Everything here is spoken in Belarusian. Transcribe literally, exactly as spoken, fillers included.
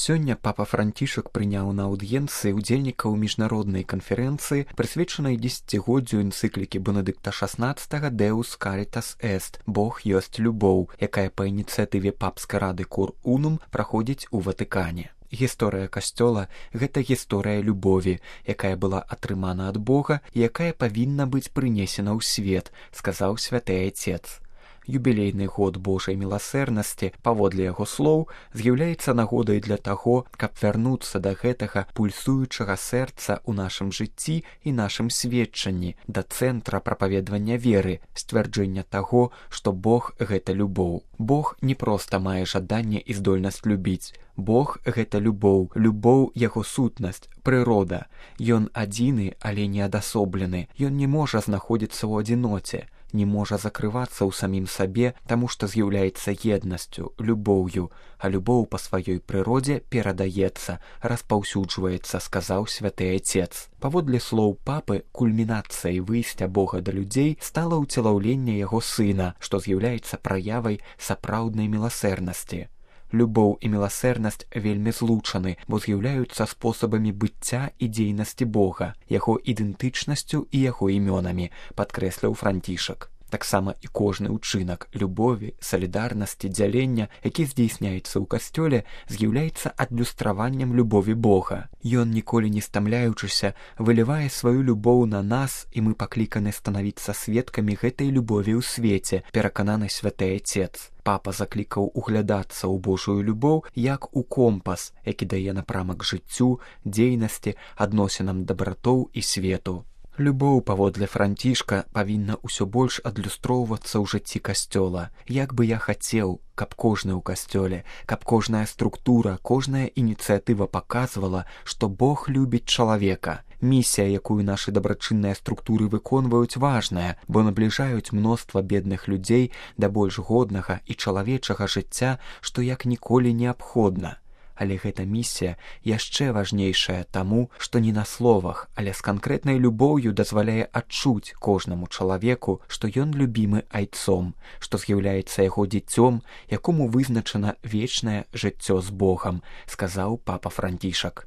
Сёння папа Францішак прыняў на аўдыенцыі ўдзельнікаў міжнароднай канферэнцыі, прысвечанай дзесяцігоддзю энцыклікі Бенедыкта шаснаццатага «Deus Caritas Est» – «Бог ёсць любоў», якая па ініцыятыве папскай рады Cor Unum праходзіць у Ватыкане. Гісторыя касцёла – гэта гісторыя любові, якая была атрымана ад Бога і якая павінна быць прынесена ў свет, сказаў святы Айцец. Юбілейны год Божай міласэрнасці, паводле яго слоў, з'яўляецца нагодай для таго, каб вярнуцца да гэтага пульсуючага сэрца ў нашым жыцці і нашым сведчанні, да цэнтра прапаведвання веры, сцвярджэння таго, што Бог – гэта любоў. Бог не проста мае жаданне і здольнасць любіць. Бог – гэта любоў, любоў – яго сутнасць, прырода. Ён адзіны, але не адасоблены. Ён не можа знаходзіцца ў адзіноце, не можа закрывацца ў самім сабе, таму што з'яўляецца еднасцю, любоўю, а любоў па сваёй прыродзе перадаецца, распаўсюджваецца, сказаў святы Айцец. Паводле слоў папы, кульмінацыяй выйсця Бога да людзей стала ўцелаўленне яго сына, што з'яўляецца праявай сапраўднай міласэрнасці. Любоў і міласэрнасць вельмі злучаны, бо з'яўляюцца спосабамі быцця і дзейнасці Бога, яго ідэнтычнасцю і яго імёнамі, падкрэсліў Францішак. Таксама і кожны ўчынак любові, салідарнасці, дзялення, які здзейсняецца ў касцёле, з'яўляецца адлюстраваннем любові Бога. Ён, ніколі не стамляючыся, вылівае сваю любоў на нас, і мы пакліканы станавіцца сведкамі гэтай любові ў свеце, перакананы святы Айцец. Папа заклікаў углядацца ў Божую любоў як у компас, які дае напрамак жыццю, дзейнасці, адносінам дабратоў і свету. Любоў, паводле Францішка, павінна ўсё больш адлюстроўвацца ў жыцці касцёла. Як бы я хацеў, каб кожны ў касцёле, каб кожная структура, кожная ініцыятыва паказвала, што Бог любіць чалавека. Місія, якую нашы дабрачынныя структуры выконваюць, важная, бо набліжаюць мноства бедных людзей да больш годнага і чалавечага жыцця, што як ніколі неабходна. Але гэта місія яшчэ важнейшая таму, што не на словах, але з канкрэтнай любоўю дазваляе адчуць кожнаму чалавеку, што ён любімы Айцом, што з'яўляецца яго дзіцём, якому вызначана вечнае жыццё з Богам, сказаў папа Францішак.